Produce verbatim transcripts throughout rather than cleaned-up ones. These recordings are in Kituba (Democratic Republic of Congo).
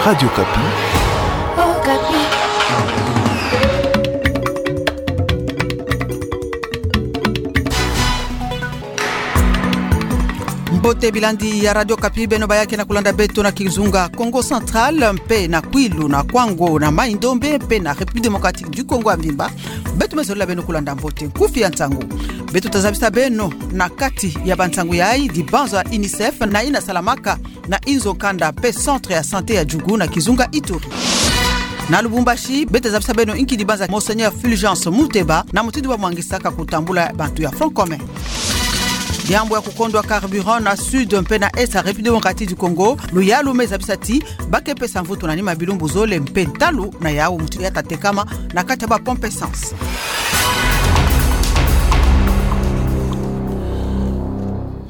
Radio Okapi. Okapi. Mbote bilandi ya Radio Okapi, beno baya ke na kulanda beto na kizunga Kongo Central, mpe na Kwilu, na Kwango, na Mai-Ndombe, mpe na République Démocratique du Congo ya mvimba. Beto me zolila beno kulanda mbote nkufi ya nsangu. Beto tazabisa beno na kati ya bansangu yayi, dibanza UNICEF na ina salamaka na inzo kanda mpe centre ya santé ya Djugu na kizunga Ituri. Na Lubumbashi, beto tazabisa beno inki dibanza Monseigneur Fulgence Muteba na mutindu bamwangisaka kutambula bantu ya Front Commun. Diambu ya kukondwa carburant na sud mpe na est ya République Démocratique du Congo, luyalu me zabisa ti ba ke pesa mvutu na nima bilumbu zole mpe ntalu na yawu mutindu ya tatekama na kati ya ba pompe essence.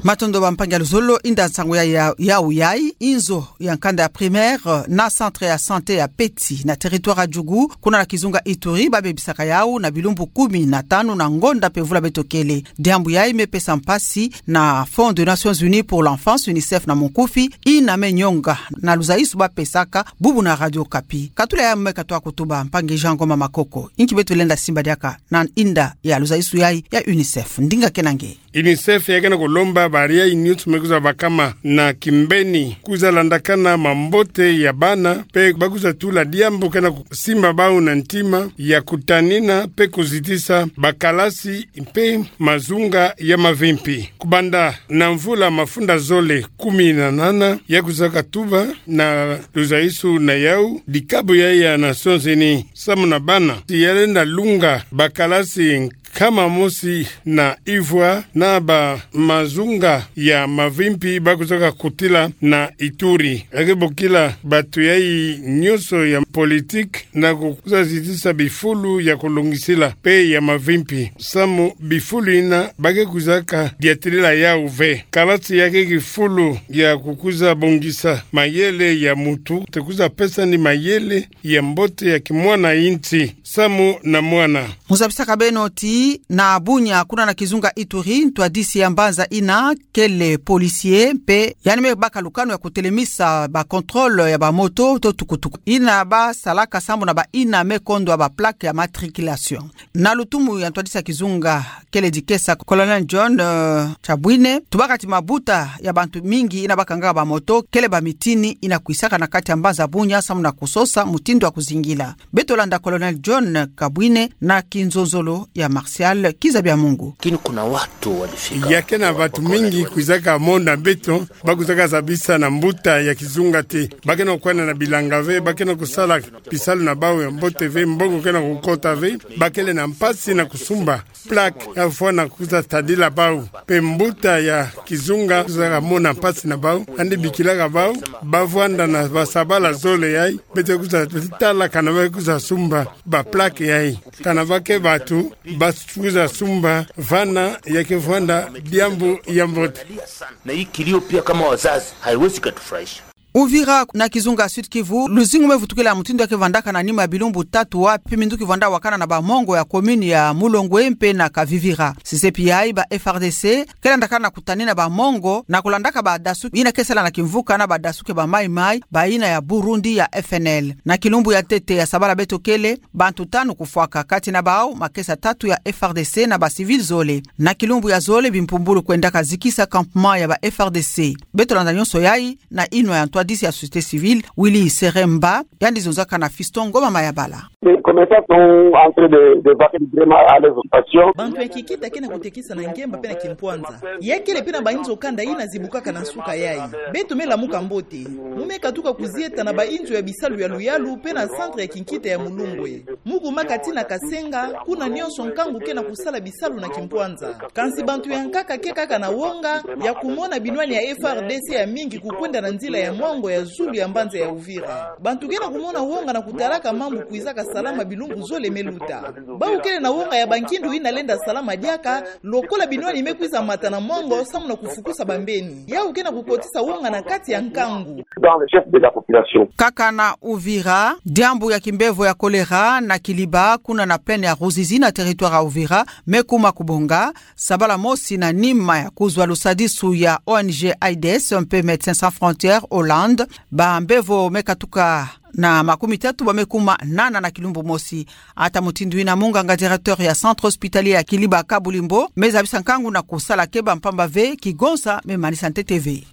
Matondo bampangi ya luzolo, inda nsangu ya, ya, yawu yayi, inzo ya nkanda ya primaire na centre ya santé ya Peti na territoire ya Djugu, kuna na kizunga Ituri, babebisaka yawu na bilumbu kumi na tanu na ngonda mpe mvula beto kele. Diambu yayi me pesa mpasi na Fonds des Nations Unies pour l'Enfance, UNICEF na monkufi, ina me nyonga na luzaisu bapesaka bubu na Radio Okapi. Katula yayi me katoa kutuba mpangi Jean Ngoma Makoko. Inki beto lenda simba diaka na inda ya luzaisu yayi ya UNICEF. Ndinga kena nge. UNICEF ya ke na kulomba bariayi nyonso me kwiza bakama na kimbeni, kwiza landakana mambote ya bana, mpe ba kwiza tula diambu ke na kusimba bawu na ntima ya kutanina mpe kuzitisa bakalasi mpe mazunga ya mavimpi. Kubanda na mvula mafunda zole kumi na nana ya kwizaka tuba na luzaisu na yawu, dikabu yayi ya Nations Unies samu na bana, ti ya lenda lunga bakalasi nkama mosi na ivwa na ba mazunga ya mavimpi ba kwizaka kutila na Ituri. Ya ke bokila batu yayi nyonso ya politique na kukwiza zitisa bifulu ya kulongisila mpe ya mavimpi, samu bifulu ina ba ke kwizaka diatilila yawu ve. Kalasi ya ke kifulu ya kukwiza bongisa mayele ya mutu, te kwiza pesa ni mayele ya mbote ya kimwana insi samu na mwana. Mu zabisaka beno ti na Bunia, kuna na kizunga Ituri, ntwadisi ya mbanza ina kele policier, mpe yandi me baka lukanu ya kutelemisa ba contrôle ya ba moto to tukutuku ina basalaka samu na ba ina me kondwa ba plaque ya matriculation. Na lutumu ya ntwadisi ya kizunga kele dikesa, Colonel John, euh, Chabwine, tubaka ti mabuta ya bantu mingi ina bakangaka ba moto kele ba mitini ina kwisaka na kati ya mbanza Bunia samu na kusosa mutindu ya kuzingila. Beto landa Colonel John Kabwine na kinzonzolo ya Martial Kizabiamungu. Lakini kuna watu walifika. Ya ke na batu mingi kwizaka mona beto, ba kwizaka zabisa na mbuta ya kizunga te. Ba ke na kwenda na bilanga ve, ba ke na kusala bisalu na bawu ya mbote ve, mbongo ke na kukota ve, ba kele na mpasi na kusumba plaque ya fwana kwiza tadila bawu. Mpe mbuta ya kizunga kwizaka mona mpasi na bawu, yandi bikilaka bawu, ba vwanda na basabala zole yayi, beto kwiza tala kana ba kwiza sumba ba plaque yayi. Kana ba ke batu ba kwiza sumba, vana ya ke vwanda diambu ya mbote. Na hii kilio pia kama wazazi, haiwezi katufurahisha. Uvira na kizunga Sud-Kivu, luzingu me vutukila mutindu ya ke vandaka na nima ya bilumbu tatu wapi minduki vwanda wakana na ba mongo ya commune ya Mulongwe mpe na Kavivira. Sisepi yayi ba F R D C ke landakana na kutanina ba mongo na kulandaka ba dasu ina ke sala na kimvuka na ba dasu ke ba Mai-Mai, ba ina ya Burundi ya F N L. Na kilumbu ya ntete ya sabala beto kele, bantu tanu kufwaka, kati na bawu makesa tatu ya F R D C na ba civil zole. Na kilumbu ya zole bimpumbulu kwendaka zikisa campement ya ba F R D C. Beto landa nyonso yayi na inwa ya ntwadisi ya société civile, Willy Seremba, yandi zonzaka na Fiston Ngoma Mayabala. Les commerçants sont en train de, de vaquer vraiment à leurs occupations. Bantu ya kikita ke na kutekisa na ngemba mpe na kimpwanza. Ya kele mpe na ba inzo kanda ina zibukaka na nsuka yayi. Beto me lamuka mbote. Mu me katuka kuzieta na ba inzo ya bisalu ya luyalu mpe na centre ya kinkita ya Mulongwe. Mu kumaka tii na Kasenga, kuna nyonso nkangu ke na kusala bisalu na kimpwanza. Kansi bantu ya nkaka ke kaka na wonga ya kumona binwani ya F R D C ya mingi kukwenda na nzila ya mwango ya zulu ya mbanza ya Uvira. Bantu ke na kumona wonga na kutalaka mambu kwizaka salama bilumbu zole me luta. Bawu kele na wonga ya bankindu ina lenda salama diaka, lokola binwani me kwiza mata na mwango samu na kufukusa bambeni. Yawu ke na kukotisa wonga na kati ya nkangu. Dans le chef de la population. Kaka na Uvira, diambu ya kimbevo ya choléra na Kiliba, kuna na plaine ya Ruzizi na territoire ya Uvira, me kuma kubonga, sabala mosi na nima ya kuzwa lusadisu ya O N G AIDS mpe Médecins Sans Frontières, O L A Hollande, bambevo me katuka na makumi tatu bamekuma nana na kilumbu mosi. Ata mutindu ina, munganga directeur ya Centre Hospitalier ya Kiliba Kabulimbo mezabisa nkangu na kusala keba, mpamba ve kigonsa memanisa ntete ve.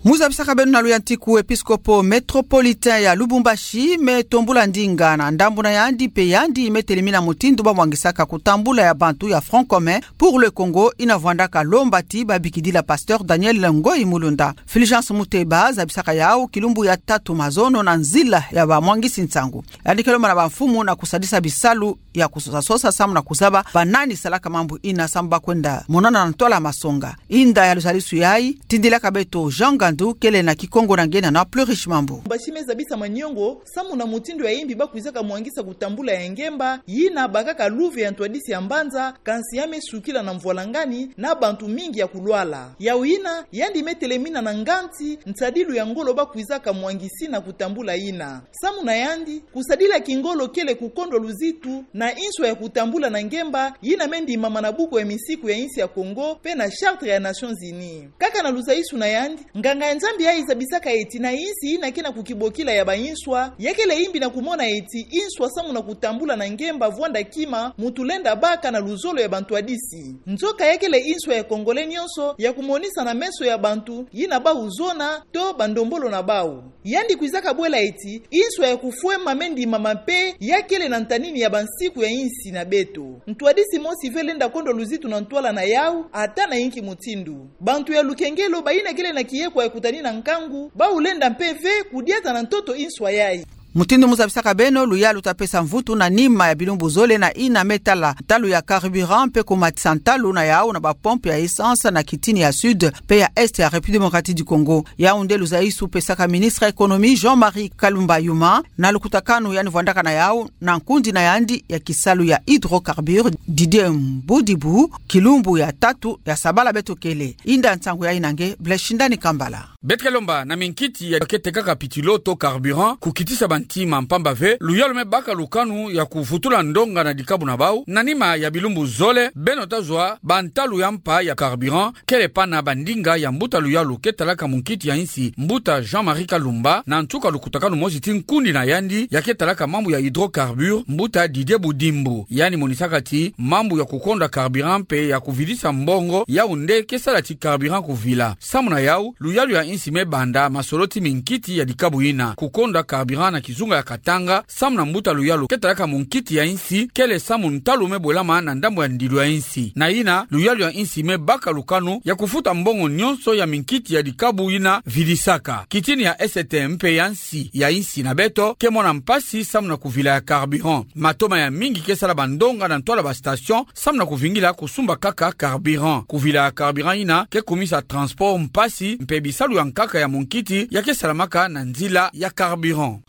Muzabisaka beno na luyantiku, episkopo métropolitain ya Lubumbashi metombula ndinga na ndambu na yandi, mpe yandi metelemina mutindu bamwangisaka kutambula ya bantu ya Front commun pour le Congo ina vwandaka lomba ti babikidila pasteur Daniel Ngoyi Mulunda. Fulgence Muteba zabisaka yau kilumbu ya tatu mazono na nzila ya bamwangisi nsangu. Yandi ke lomba na bamfumu na kusadisa bisalu ya kusosa sosa samu na kuzaba banani salaka mambu ina samu bakwenda monana na ntwala masonga. Inda ya luzalisu yayi, tindilaka beto Jean Gandu, kele na Kikongo na nge na Plus Riche Mambu. Lubumbashi mezabisa maniongo samu na mutindu ya imbi bakwizaka mwangisa kutambula ya ngemba, yina bakaka luve ya ntwadisi ya mbanza, kansi ya mesukila na mvwalangani na bantu mingi ya kulwala. Yau yina, yandi metelemina na nganti nsadilu ya ngolo bakwizaka mwangisina kutambula yina. Samu na yandi, kusadila kingolo kele kukondwa luzitu na inswa ya kutambula na ngemba yina mendimama na buku ya misiku ya insi ya Congo mpe na Charte ya Nations Unies. Kaka na luzaisu na yandi, nganga ya Nzambi yayi zabisaka eti na insi yina ke na kukibokila ya bainswa, ya kele imbi na kumona eti inswa samu na kutambula na ngemba vwanda kima mu tulenda baka na luzolo ya bantwadisi. Nzoka ya kele inswa ya Congolais nionso ya kumonisa na meso ya bantu yina bau zona to bandombolo na bau. Yandi kwizaka bwela eti inswa ya kufwema mendimama mpe ya kele na ntanini ya bansiku ya insi na beto. Ntwadisi mosi ve lenda kondwa luzitu na ntwala na yau, ata na inki mutindu. Bantu ya lukengelo bayina kele na kiekwa ya kutanina nkangu, bau lenda mpe ve kudiata na ntoto inswa yayi. Mutindu muzabisaka beno, luyalu ta pesa mvutu na nima ya bilumbu zole na ina metala ntalu ya carburant mpe kumatisa ntalu na yau na bapompe ya essence na kitini ya Sud mpe ya Est ya République Démocratique du Congo. Yau nde luzaisu pesaka ministre ya Économie Jean-Marie Kalumba yuma na lukutakanu yandi vwandaka na yau na nkundi na yandi ya kisalu ya hydrocarbures, Didier Mbudibu, kilumbu ya tatu ya sabala beto kele. Inda nsangu yayi na nge, Blaise Shindani Kambala. Beto ke lomba na minkiti ya ke tekaka pitilo to carburant kukitisa bantima, mpamba ve luyalu mebaka lukanu ya kuvutula ndonga na dikabu na bau. Na nima ya bilumbu zole, beno ta zwa bantalu ya mpa ya carburant, kele pana bandinga ya mbuta luyalu ke talaka munkiti ya insi, mbuta Jean-Marie Kalumba, na nsuka lukutakanu mosi ti nkundi na yandi ya ke talaka mambu ya hydrocarbures, mbuta Didier Budimbu. Yandi monisaka ti mambu ya kukondwa carburant mpe ya kuvilisa mbongo, yau nde ke sala ti carburant kuvila. Samu na yau, luyalu ya insi mebanda masolo ti minkiti ya dikabu yina. Kukondwa carburant na kizunga ya Katanga, samu na mbuta luyalu ke talaka munkiti ya insi, kele samu ntalu mebwelama na ndambu ya ndilu ya insi. Na yina, luyalu ya insi mebaka lukanu ya kufuta mbongo nionso ya minkiti ya dikabu yina vilisaka. Kitini ya S T M mpe ya nsi ya insi na beto ke mona mpasi samu na kuvila ya carburant. Matoma ya mingi ke sala bandonga na ntwala bastation samu na kuvingila kusumba kaka carburant. Kuvila ya carburant yina ke kumisa transport mpasi, mpe bisalu ya nkaka ya munkiti ya ke salamaka na nzila ya carburant.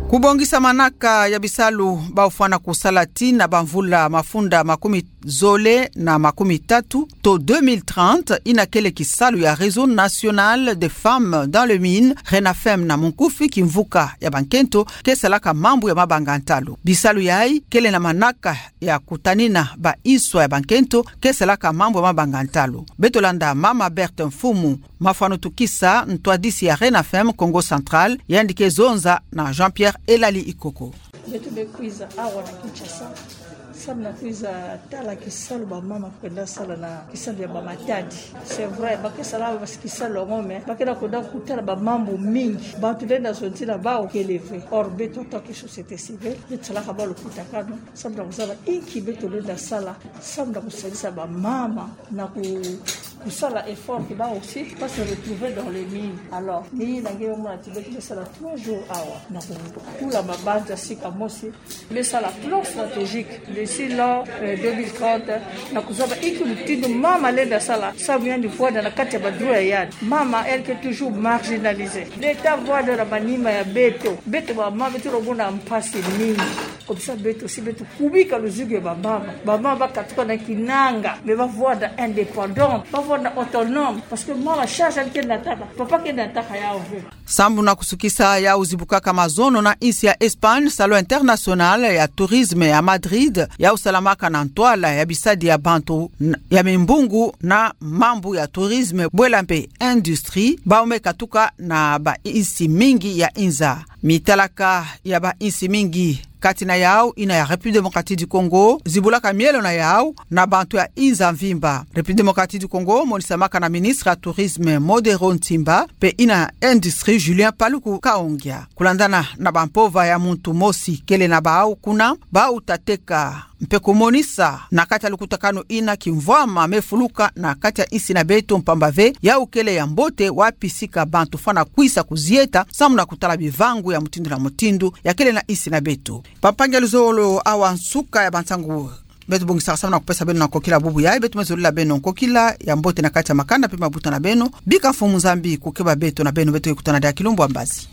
Kubongisa manaka ya bisalu bau fwana kusala tii na bamvula mafunda makumi zole na makumi tatu to deux mille trente, yina kele kisalu ya Réseau National des Femmes dans les Mines, RENAFEM na munkufi, kimvuka ya bankento ke salaka mambu ya mabanga ntalu. Bisalu yayi kele na manaka ya kutanina bainswa ya bankento ke salaka mambu ya mabanga ntalu. Beto landa mama Berthe Mfumu Mafwanutukisa, ntwadisi ya RENAFEM Kongo Central, yandi ke zonza na Jean-Pierre Elali Ikoko. Beto me kwiza awa na Kinshasa samu na kwiza tala kisalu bamama kwenda sala na kisalu ya bamatadi. C'est vrai, ba ke sala basi kisalu yango, mais ba ke na kwenda kutala bamambu mingi. Bantu lenda zonzila bau kele ve. Or, beto, en tant que société civile, beto salaka bau lukutakanu samu na kuzaba inki beto lenda sala samu na kusalisa bamama na ku-, kusala effort ke bau aussi ba se retrouver dans les mines. Alors, ni na nge mona ti beto me sala trois jours awa na kutula mabanza sika mosi. Me sala plan stratégique d'ici l'an, euh, deux mille trente, na kuzaba inki mutindu mama lenda sala samu yandi vwanda na kati ya ba droit ya yandi. Mama, elle, ke toujours marginalisée. L'État vwanda na manima ya beto. Beto bamama beto lenda mona mpasi mingi. Comme ça beto si beto kubika luzugu ya bamama. Bamama bakatuka na kinanga, me bavwanda indépendante, bavwanda autonome, parce que mama charge ni ke nataka, papa ke nataka yau ve. Sambu na kusukisa yau zibukaka mazono na insi ya Espagne, Salon International ya Tourisme ya Madrid, yau salamaka na ntwala ya bisadi ya bantu n-, ya mimbungu na mambu ya tourisme, bwela mpe industrie, bau me katuka na bainsi mingi ya inza. Mitalaka ya bainsi mingi, kati na yau ina ya République Démocratique du Congo, zibulaka mielo na yau na bantu ya inza mvimba. République Démocratique du Congo monisamaka na ministre ya tourisme Modero Ntimba, mpe ina industrie Julien Paluku Kaongia. Kulandana na bampova ya muntu mosi kele na bau kuna, bau ta teka mpe kumonisa na kati ya lukutakanu ina kimvwama me fuluka na kati ya insi na beto, mpamba ve yau kele ya mbote wapi sika bantu fwana kwisa kuzieta, samu na kutala bivangu ya mutindu na mutindu ya kele na insi na beto. Bampangi ya luzolo, awa nsuka ya bansangu beto bongisaka samu na kupesa beno na nkokila bubu yayi. Beto me zolila beno nkokila ya mbote na kati ya makanda mpe mabuta na beno. Bika Mfumu Nzambi kukeba beto na beno, beto ke kutana diaka kilumbu ya mbazi.